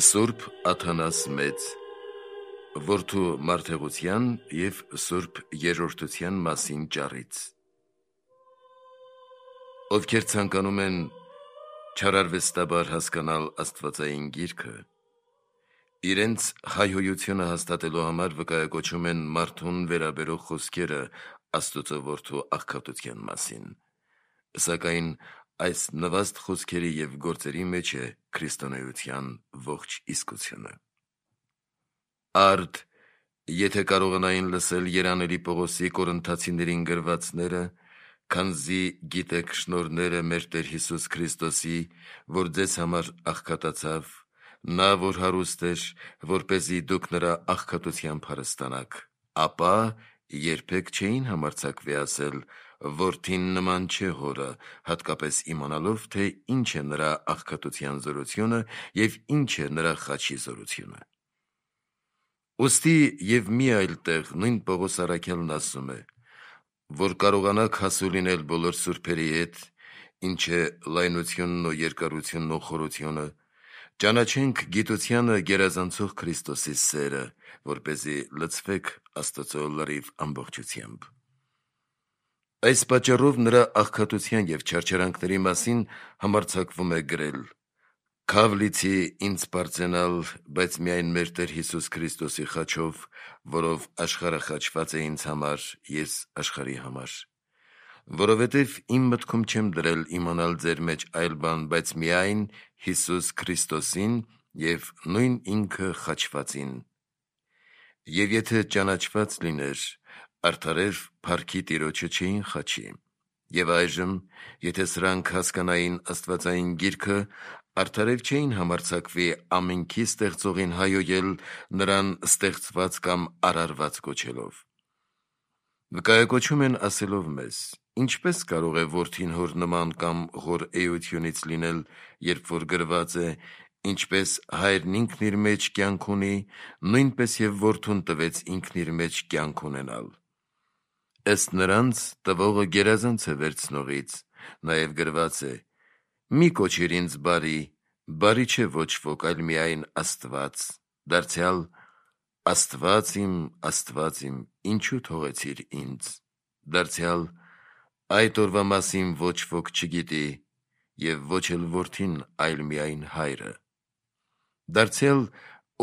Սուրբ Աթանաս Մեծ որդու մարդեղության և սուրբ երրորդության մասին ճառից։ Ովքեր ցանկանում են չարարվեստաբար հասկանալ աստվածային գիրքը, իրենց հայհոյությունը հաստատելու համար վկայակոչում են մարդուն վերաբերող խոսքերը Աստծո որդու աղքատության մասին, սակայն այս նվաստ խոսքերի և գործերի մեջ է քրիստոնեության ողջ իսկությունը։ Արդ, եթե կարողանային լսել երանելի Պողոսի Կորինթացիներին գրվածները, քանզի գիտեք շնորհները մեր Տեր Հիսուս Քրիստոսի, որ ձեզ համար աղքատացավ, նա որ հարուստ էր, որպեսզի դուք նրա աղքատությամբ հարստանաք, ապա երբեք չէին համարձակվի ասել. «Որդին նման չէ հորը», հատկապես իմանալով, թե ինչ է նրա աղքատության զորությունը և ինչ է նրա խաչի զորությունը։ Ուստի և մի այլ տեղ նույն Պողոս առաքյալն ասում է, որ կարողանաք հասու լինել բոլոր սուրբերի հետ, ինչ է լայնությունն ու երկարությունն ու խորությունը, ճանաչենք գիտությանը գերազանցող Քրիստոսի սերը, որպեսզի լցվեք Աստծո լրիվ ամբողջությամբ։ Այս պատճառով նրա աղքատության և չարչարանքների մասին համարձակվում է գրել. «Քավ լիցի ինձ պարծենալ, բայց միայն մեր Տեր Հիսուս Քրիստոսի խաչով, որով աշխարհը խաչված է ինձ համար, ես աշխարհի համար։ Որովհետև իմ մտքում չեմ դրել իմանալ ձեր մեջ այլ բան, բայց միայն Հիսուս Քրիստոսին և նույն ինքը խաչվածին։ Եվ եթե ճանաչված լիներ, արդարև փառքի Տիրոջը չէին խաչի։ Եվ այժմ, եթե սրանք հասկանային աստվածային գիրքը, արդարև չէին համարձակվի ամենքի ստեղծողին հայհոյել, նրան ստեղծված կամ արարված կոչելով։ Վկայակոչում են ասելով մեզ. ինչպե՞ս կարող է որդին հոր նման կամ հոր էությունից լինել, երբ որ գրված է. ինչպես հայրն ինքն իր մեջ կյանք ունի, նույնպես և որդուն տվեց ինքն իր մեջ կյանք ունենալ։ Ըստ նրանց տվողը գերազանց է վերցնողից, նաև գրված է. մի կոչիր ինձ բարի, բարի չէ ոչ ոք, այլ միայն Աստված, դարձյալ Աստված իմ, ինչու թողեցիր ինձ, դարձյալ այդ օրվա մասին ոչ ոք չգիտի, և ոչ էլ որդին, այլ միայն հայրը, դարձյալ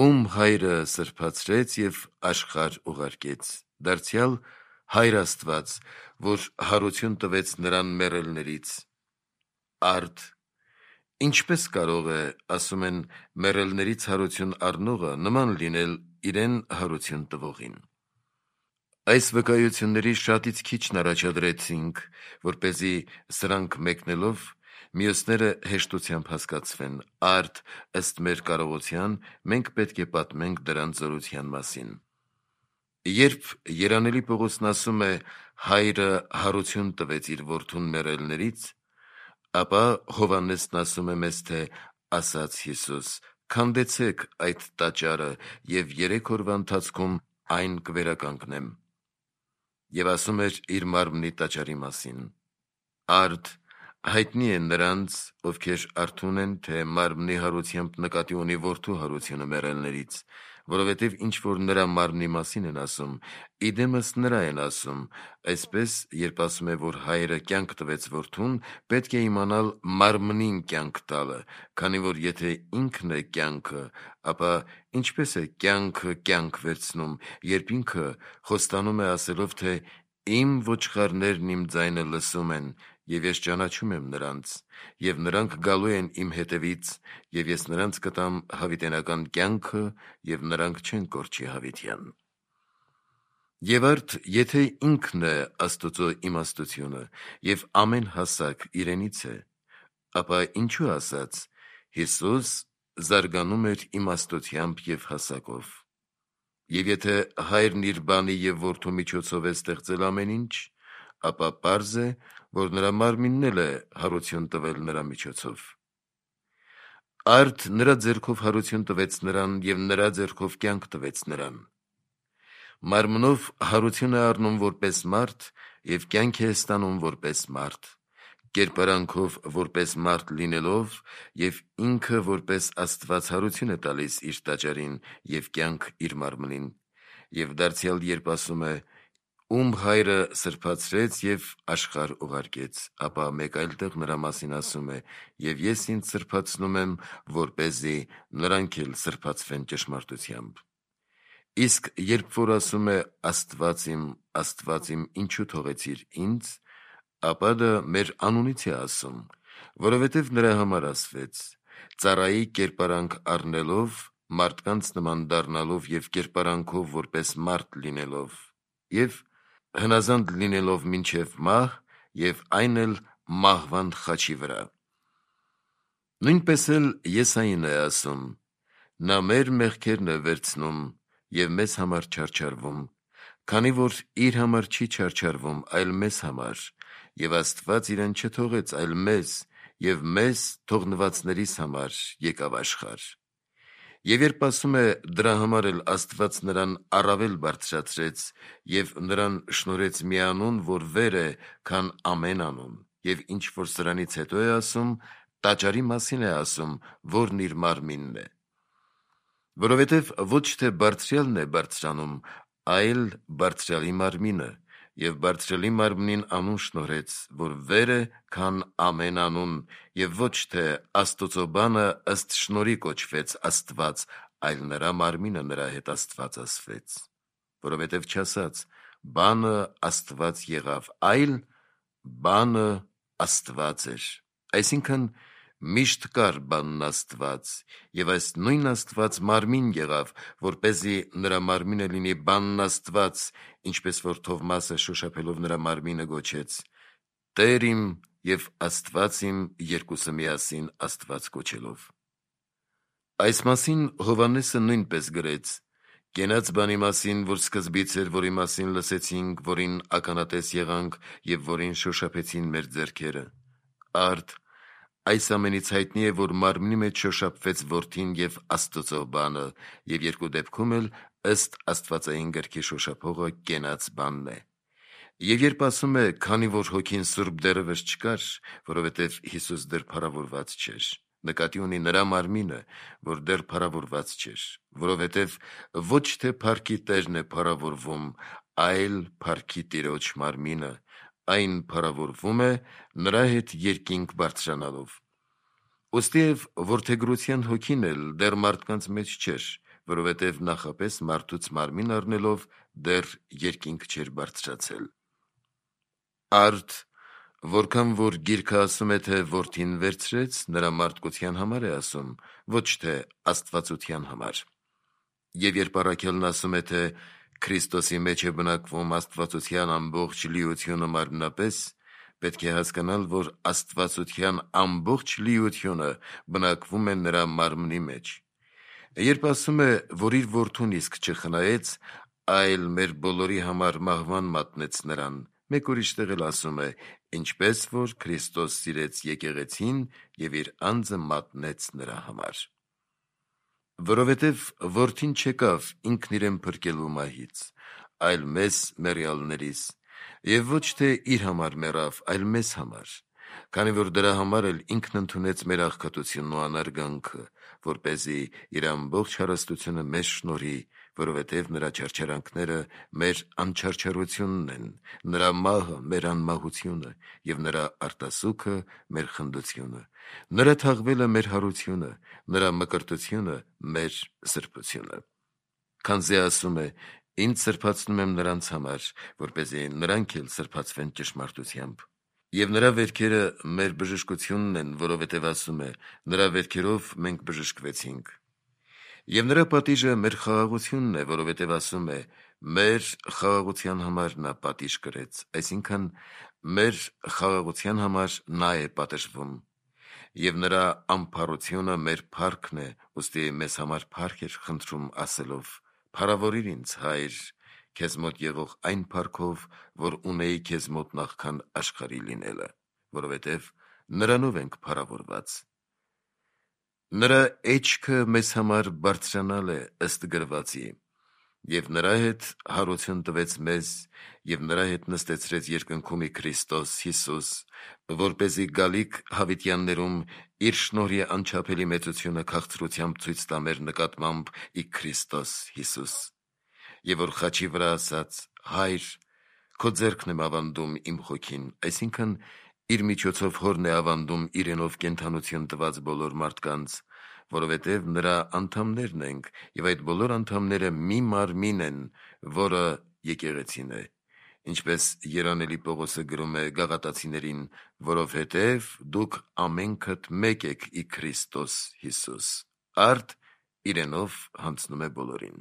ում հայրը սրբացրեց և աշխարհ ուղարկեց, դարձյալ Հայր Աստված, որ հարություն տվեց նրան մեռելներից։ Արդ, ինչպե՞ս կարող է, ասում են, մեռելներից հարություն առնողը նման լինել իրեն հարություն տվողին։ Այս վկայությունների շատից քիչն առաջադրեցինք, որպեսզի սրանք մեկնելով մյուսները հեշտությամբ հասկացվեն, արդ ըստ մեր կարողության մենք պետք է պատմենք դրանց զորության մասին։ Երբ երանելի Պողոսն ասում է հայրը հարություն տվեց իր որդուն մեռելներից, ապա Հովհաննեսն ասում է մեզ, թե ասաց Հիսուս. քանդեցեք այդ տաճարը և 3 օրվա ընթացքում այն կվերականգնեմ։ Եվ ասում էր իր մարմնի տաճարի մասին։ Արդ հայտնի է նրանց, ովքեր արթուն են, թե մարմնի հարությամբ նկատի ունի որդու հարությունը մեռելներից, որովհետև ինչ որ նրա մարմնի մասին են ասում, իդեմս նրա են ասում, այսպես երբ ասում է, որ հայրը կյանք տվեց որդուն, պետք է իմանալ մարմնին կյանք տալը, քանի որ եթե ինքն է կյանքը, ապա ինչպես է կյանքը կյանք վերցնում, երբ ինքը խոստանում է ասելով, թե իմ ոչխարներն իմ ձայնը լսում են, և ես ճանաչում եմ նրանց, և նրանք գալու են իմ հետևից, և ես նրանց կտամ հավիտենական կյանքը, և նրանք չեն կորչի հավիտյան։ Եվ արդ, եթե ինքն է Աստծո իմաստությունը, և ամեն հասակ իրենից է, ապա ինչու ասաց. Հիսուս զարգանում էր իմաստությամբ և հասակով։ Եվ եթե հայրն իր բանի և որդու միջոցով է ստեղծել ամեն ինչ, ապա պարզ է, որ նրա մարմինն էլ է հարություն տվել նրա միջոցով։ Արդ նրա ձեռքով հարություն տվեց նրան և նրա ձեռքով կյանք տվեց նրան։ Մարմնով հարություն է առնում որպես մարդ և կյանք է ստանում որպես մարդ, կերպարանքով որպես մարդ լինելով և ինքը որպես Աստված հարություն է տալիս իր տաճարին և կյանք իր մարմնին, և դարձյալ երբ ասում է. «Ում հայրը սրբացրեց և աշխարհ ուղարկեց», ապա մեկ այլ տեղ նրա մասին ասում է. «Եվ ես ինձ սրբացնում եմ, որպեսզի նրանք էլ սրբացվեն ճշմարտությամբ»։ Իսկ երբ որ ասում է Աստված իմ, ինչու թողեցիր ինձ, ապա դա մեր անունից է ասում, որովհետև նրա համար ասվեց. ծառայի կերպարանք առնելով, մարդկանց նման դառնալով և կերպարանքով որպես մարդ լինելով, և հնազանդ լինելով մինչև մահ, և այն էլ մահվան խաչի վրա։ Նույնպես էլ Եսային է ասում. «Նա մեր մեղքերն է վերցնում և մեզ համար չարչարվում, քանի որ իր համար չի չարչարվում, այլ մեզ համար, և Աստված իրեն չթողեց, այլ մեզ, և մեզ թողնվածներիս համար եկավ աշխարհ»։ Եվ երբ ասում է դրա համար էլ Աստված նրան առավել բարձրացրեց և նրան շնորհեց մի անուն, որ վեր է, քան ամեն անուն, և ինչ որ սրանից հետո է ասում, տաճարի մասին է ասում, որն իր մարմինն է։ Որովհետև ոչ թե Բարձրյալն է բարձրանում, այլ Բարձրյալի մարմինը, և Բարձրյալի մարմնին անուն շնորհեց, որ վեր է, քան ամեն անուն, և ոչ թե Աստուծո բանը ըստ շնորհի կոչվեց Աստված, այլ նրա մարմինը նրա հետ Աստված ասվեց։ Որովհետև չասաց. «Բանը Աստված եղավ», այլ «Բանը Աստված էր», այսինքն միշտ կար բանն Աստված, և այս նույն Աստված մարմին եղավ, որպեսզի նրա մարմինը լինի բանն Աստված, ինչպես որ Թովմասը շոշափելով նրա մարմինը գոչեց. «Տեր իմ և Աստված իմ», երկուսը միասին Աստված կոչելով։ Այս մասին Հովհաննեսը նույնպես գրեց. «Կենաց բանի մասին, որ սկզբից էր, որի մասին լսեցինք, որին ականատես եղանք և որին շոշափեցին մեր ձեռքերը։ Արդ այս ամենից հայտնի է, որ մարմնի մեջ շոշափվեց Որդին և Աստուծո բանը, և երկու դեպքում էլ ըստ Աստվածային գրքի շոշափողը կենաց բանն է։ Եվ երբ ասում է, քանի որ Հոգին Սուրբ դեռևս չկար, որովհետև Հիսուս դեռ փառավորված չէր, նկատի ունի նրա մարմինը, որ դեռ փառավորված չէր, որովհետև ոչ թե փառքի Տերն է փառավորվում, այլ փառքի Տիրոջ մարմինը, այն փառավորվում է նրա հետ երկինք բարձրանալով։ Ուստիև որդեգրության Հոգին էլ դեռ մարդկանց մեջ չէր, որովհետև նախապես մարդուց մարմին առնելով դեռ երկինք չէր բարձրացել։ Արդ որքան որ գիրքը ասում է, թե Որդին վերցրեց, նրա մարդկության համար է ասում, ոչ թե աստվածության համար։ Եվ երբ առաքյալն ասում է, թե Քրիստոսի մեջ է բնակվում աստվածության ամբողջ լիությունը մարմնապես, պետք է հասկանալ, որ աստվածության ամբողջ լիությունը բնակվում է նրա մարմնի մեջ։ Երբ ասում է, որ իր Որդուն իսկ չխնայեց, այլ մեր բոլորի համար մահվան մատնեց նրան, մեկ ուրիշ տեղ էլ ասում է. ինչպես որ Քրիստոս սիրեց եկեղեցին և իր անձը մատնեց նրա համար։ Որովհետև Որդին չեկավ ինքն իրեն փրկելու մահից, այլ մեզ մեռյալներիս, և ոչ թե իր համար մեռավ, այլ մեզ համար, քանի որ դրա համար էլ ինքն ընդունեց մեր աղքատությունն ու անարգանքը, որպեսզի իր ամբողջ հարստությունը մեզ շնորհի, որովհետև նրա չարչարանքները մեր անչարչարությունն են, նրա մահը մեր անմահությունը, և նրա արտասուքը մեր խնդությունը, նրա թաղվելը մեր հարությունը, նրա մկրտությունը մեր սրբությունը։ Քանզի ասում է. «Ինձ սրբացնում եմ նրանց համար, որպեսզի նրանք էլ սրբացվեն ճշմարտությամբ»։ Եվ նրա վերքերը մեր բժշկությունն են, որովհետև ասում է. «Նրա վերքերով մենք բժշկվեցինք»։ Եվ նրա պատիժը մեր խաղաղությունն է, որովհետև ասում է. «Մեր խաղաղության համար նա պատիժ կրեց», այսինքն մեր խաղաղության համար նա է պատժվում։ Եվ նրա ամփառությունը մեր փառքն է, ուստի մեզ համար փառք էր խնդրում ասելով. «Փառավորիր ինձ, Հայր, քեզ մոտ եղող այն փառքով, որ ունեի քեզ մոտ նախքան աշխարհի լինելը, որովհետև նրանով ենք փառավորված»։ Նրա էջքը մեզ համար բարձրանալ է ըստ գրվածի. Եվ նրա հետ հարություն տվեց մեզ, և նրա հետ նստեցրեց երկնքումի Քրիստոս Հիսուս, որպեսզի գալիք հավիտյաններում իր շնորհի անչափելի մեծությունը քաղցրությամբ ցույց տա մեր նկատմամբ ի Քրիստոս Հիսուս։ Եվ որ խաչի վրա ասաց. «Հայր, քո ձեռքն եմ ավանդում իմ հոգին», այսինքն իր միջոցով հորն է ավանդում իրենով կենդանություն տված բոլոր մարդկանց, որովհետև նրա անդամներն ենք, և այդ բոլոր անդամները մի մարմին են, որը եկեղեցին է, ինչպես երանելի Պողոսը գրում է Գաղատացիներին, որովհետև դուք ամենքդ մեկ եք ի Քրիստոս Հիսուս։ Արդ իրենով հանձնում է բոլորին։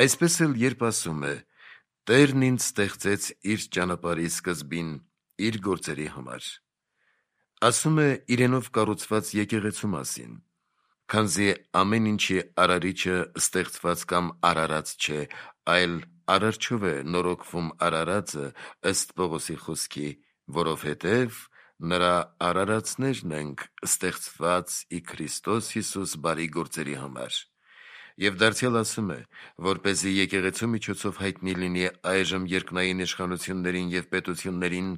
Այսպես էլ երբ ասում է. «Տերն ինձ ստեղծեց իր ճանապարհի սկզբին, իր գործերի համար», ասում է իրենով կառուցված եկեղեցու մասին, քանզի ամեն ինչի արարիչը ստեղծված կամ արարած չէ, այլ արարչով է նորոգվում արարածը, ըստ Պողոսի խոսքի, որովհետև նրա արարածներն ենք, ստեղծված ի Քրիստոս Հիսուս բարի գործերի համար։ Եվ դարձյալ ասում է, որպեսզի եկեղեցու միջոցով հայտնի լինի այժմ երկնային իշխանություններին և պետություններին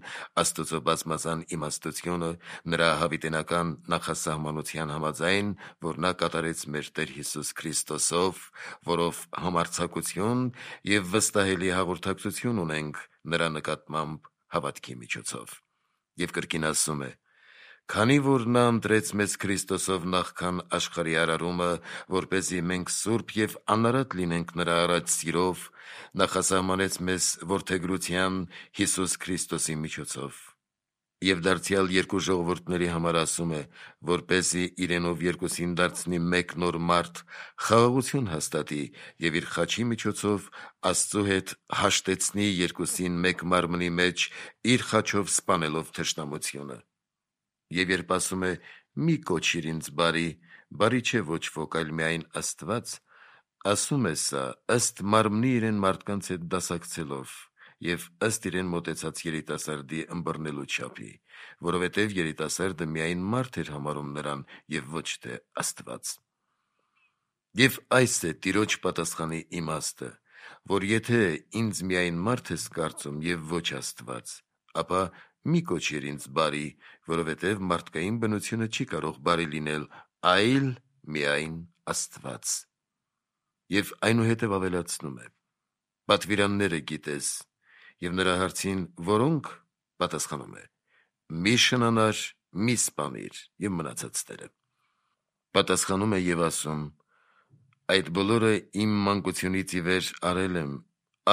Աստծո բազմազան իմաստությունը նրա հավիտենական նախասահմանության համաձայն, որ նա կատարեց մեր Տեր Հիսուս Քրիստոսով, որով համարձակություն և վստահելի հաղորդակցություն ունենք նրա նկատմամբ հավատքի միջոցով։ Եվ կրկին ասում է. «Քանի որ նա ընտրեց մեզ Քրիստոսով նախքան աշխարհի արարումը, որպեսզի մենք սուրբ և անարատ լինենք նրա առաջ սիրով, նախասահմանեց մեզ որդեգրության Հիսուս Քրիստոսի միջոցով»։ Եվ դարձյալ երկու ժողովուրդների համար ասում է, որպեսզի իրենով երկուսին դարձնի մեկ նոր մարդ, խաղաղություն հաստատի և իր խաչի միջոցով Աստծո հետ հաշտեցնի երկուսին մեկ մարմնի մեջ, իր խաչով սպանելով թշնամությունը։ Եվ երբ ասում է. «Մի կոչիր ինձ բարի», բարի չէ ոչ ոք, այլ միայն Աստված, ասում է սա ըստ մարմնի իրեն մարդկանց հետ դասակցելով և ըստ իրեն մոտեցած երիտասարդի ըմբռնելու չափի, որովհետև երիտասարդը միայն մարդ էր համարում նրան և ոչ թե Աստված։ Եվ այս է Տիրոջ պատասխանի իմաստը, որ եթե ինձ միայն մարդ ես կարծում և ոչ Աստված, ապա մի կոչիր ինձ բարի, որովհետև մարդկային բնությունը չի կարող բարի լինել, այլ միայն Աստված։ Եվ այնուհետև ավելացնում է. «Պատվիրանները գիտես», և նրա հարցին «Որոնք» պատասխանում է. «Մի շնանար, մի սպանիր» և մնացածները։ Պատասխանում է և ասում. «Այդ բոլորը իմ մանկությունից ի վեր արել եմ,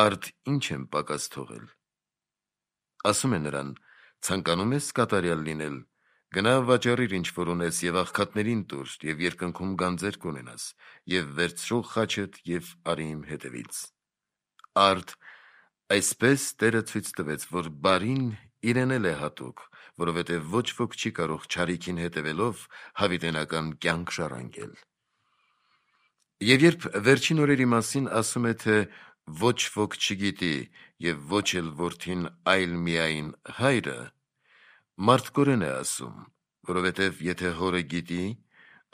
արդ ինչ եմ պակաս թողել»։ Ասում է նրան. «Ցանկանում ես կատարյալ լինել, գնա վաճառիր ինչ որ ունես և աղքատներին տուր, և երկնքում գանձեր կունենաս, և վերցրու խաչդ և արի իմ հետևից»։ Արդ այսպես Տերը ցույց տվեց, որ բարին իրեն էլ է հատուկ, որովհետև ոչ ոք չի կարող չարիքին հետևելով հավիտենական կյանք ժառանգել։ Եվ երբ վերջին օրերի մասին ասում է, թե ոչ ոք չգիտի և ոչ էլ Որդին, այլ միայն Հայրը, մարդկորեն է ասում, որովհետև եթե Հորը գիտի,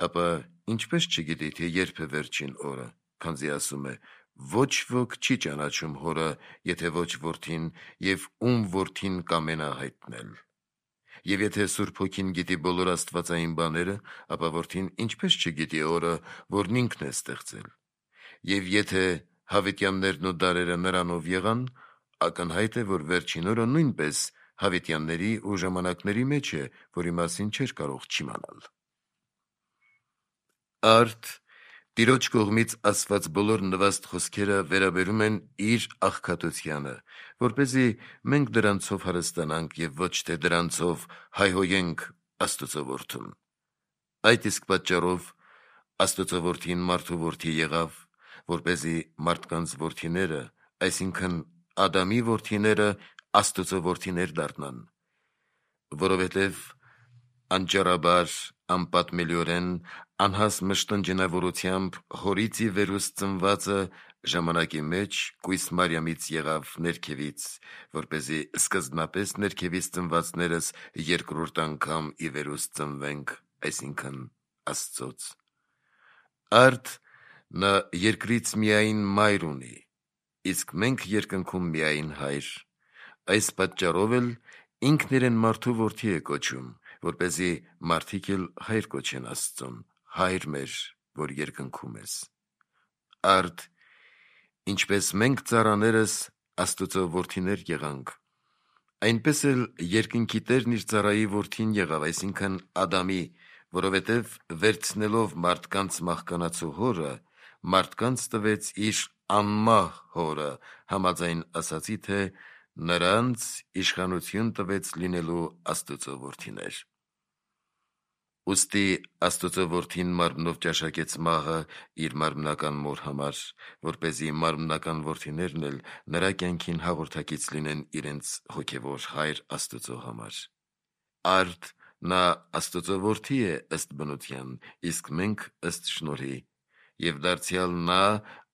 ապա ինչպես չգիտի, թե երբ է վերջին օրը, քանզի ասում է. «Ոչ ոք չի ճանաչում Հորը, եթե ոչ Որդին, և ում Որդին կամենա հայտնել»։ Եվ եթե Սուրբ Հոգին գիտի բոլոր աստվածային բաները, ապա Որդին ինչպես չգիտի Օրը, որն ինքն է ստեղծել։ Եվ եթե հավիտյաններն ու դարերը նրանով եղան, ակնհայտ է, որ վերջին օրը նույնպես հավիտյանների ու ժամանակների մեջ է, որի մասին չէր կարող չիմանալ։ Արդ Տիրոջ կողմից ասված բոլոր նվաստ խոսքերը վերաբերում են իր աղքատությանը, որպեսզի մենք դրանցով հարստանանք և ոչ թե դրանցով հայհոյենք Աստծո որդուն։ Այդ իսկ պատճառով Աստծո որդին մարդու որդի եղավ, որպեսզի մարդկանց որդիները, այսինքն Ադամի որդիները, Աստծո որդիներ դառնան, որովհետև անճարաբար, անպատմելիորեն, անհաս մշտնջենավորությամբ հորից ի վերուստ ծնվածը ժամանակի մեջ կույս Մարիամից եղավ ներքևից, որպեսզի սկզբնապես ներքևից ծնվածներս երկրորդ անգամ ի վերուստ ծնվենք, այսինքն Աստծոց։ Արդ Նա երկրից միայն մայր ունի, իսկ մենք երկնքում միայն հայր։ Այս պատճառով էլ ինքն իրեն մարդու որդի է կոչում, որպեսզի մարդիկ էլ հայր կոչեն Աստծուն, հայր մեր, որ երկնքում ես։ Արդ, ինչպես մենք ծառաներս Աստուծո որդիներ եղանք, այնպես էլ երկնքի Տերն իր ծառայի որդին եղավ, այսինքն Ադամի, որովհետև վերցնելով մարդկանց մահկանացու հորը, մարդկանց տվեց իր անմահ հորը, համաձայն ասացի, թե նրանց իշխանություն տվեց լինելու Աստուծո որդիներ։ Ուստի Աստուծո որդին մարմնով ճաշակեց մահը իր մարմնական մոր համար, որպեսզի մարմնական որդիներն էլ նրա կյանքին հաղորդակից լինեն իրենց հոգևոր հայր Աստուծո համար։ Արդ նա Աստուծո որդի է ըստ բնության, իսկ մենք ըստ շնորհի, եւ դարձյալ նա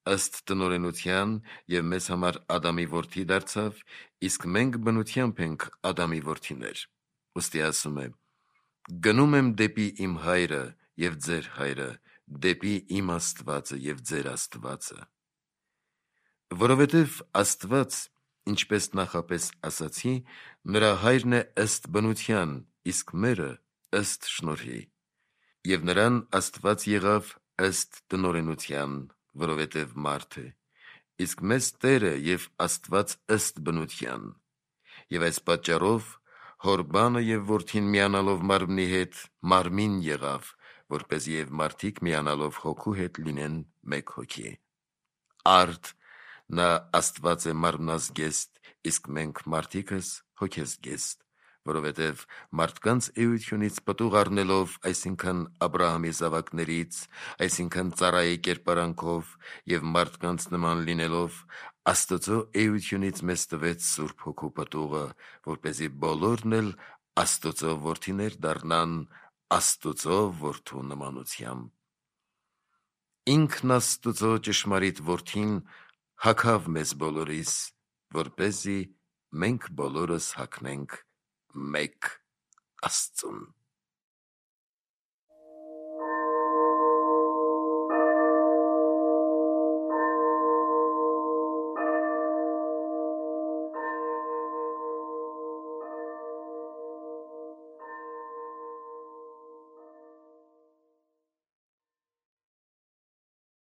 ըստ տնօրենության եւ մեզ համար Ադամի որդի դարձավ, իսկ մենք բնությամբ ենք Ադամի որդիներ։ Ուստի ասում է. «Գնում եմ դեպի իմ հայրը եւ ձեր հայրը, դեպի իմ Աստվածը եւ ձեր Աստվածը»։ Որովհետև Աստված, ինչպես նախապես ասացի, նրա հայրն է ըստ բնության, իսկ մերը ըստ շնորհի, եւ նրան Աստված եղավ ըստ տնօրենության, որովհետև մարդ է, իսկ մեզ Տերը եւ Աստված ըստ բնության, եւ այս պատճառով հոր բանը եւ որդին միանալով մարմնի հետ մարմին եղավ, որպեսզի եւ մարդիկ միանալով հոգու հետ լինեն մեկ հոգի։ Արդ նա Աստված է մարմնազգեստ, իսկ մենք մարդիկս հոգեզգեստ, որովհետև մարդկանց էությունից պտուղ առնելով, այսինքն Աբրահամի զավակներից, այսինքն ծառայի կերպարանքով եւ մարդկանց նման լինելով, Աստծո էությունից մեզ տվեց Սուրբ Հոգու պտուղը, որպեսզի բոլորն էլ Աստծո որդիներ դառնան Աստծո որդու նմանությամբ։ Ինքն Աստծո ճշմարիտ որդին հագավ մեզ բոլորիս, որպեսզի մենք բոլորս հագնենք մեկ Աստծուն։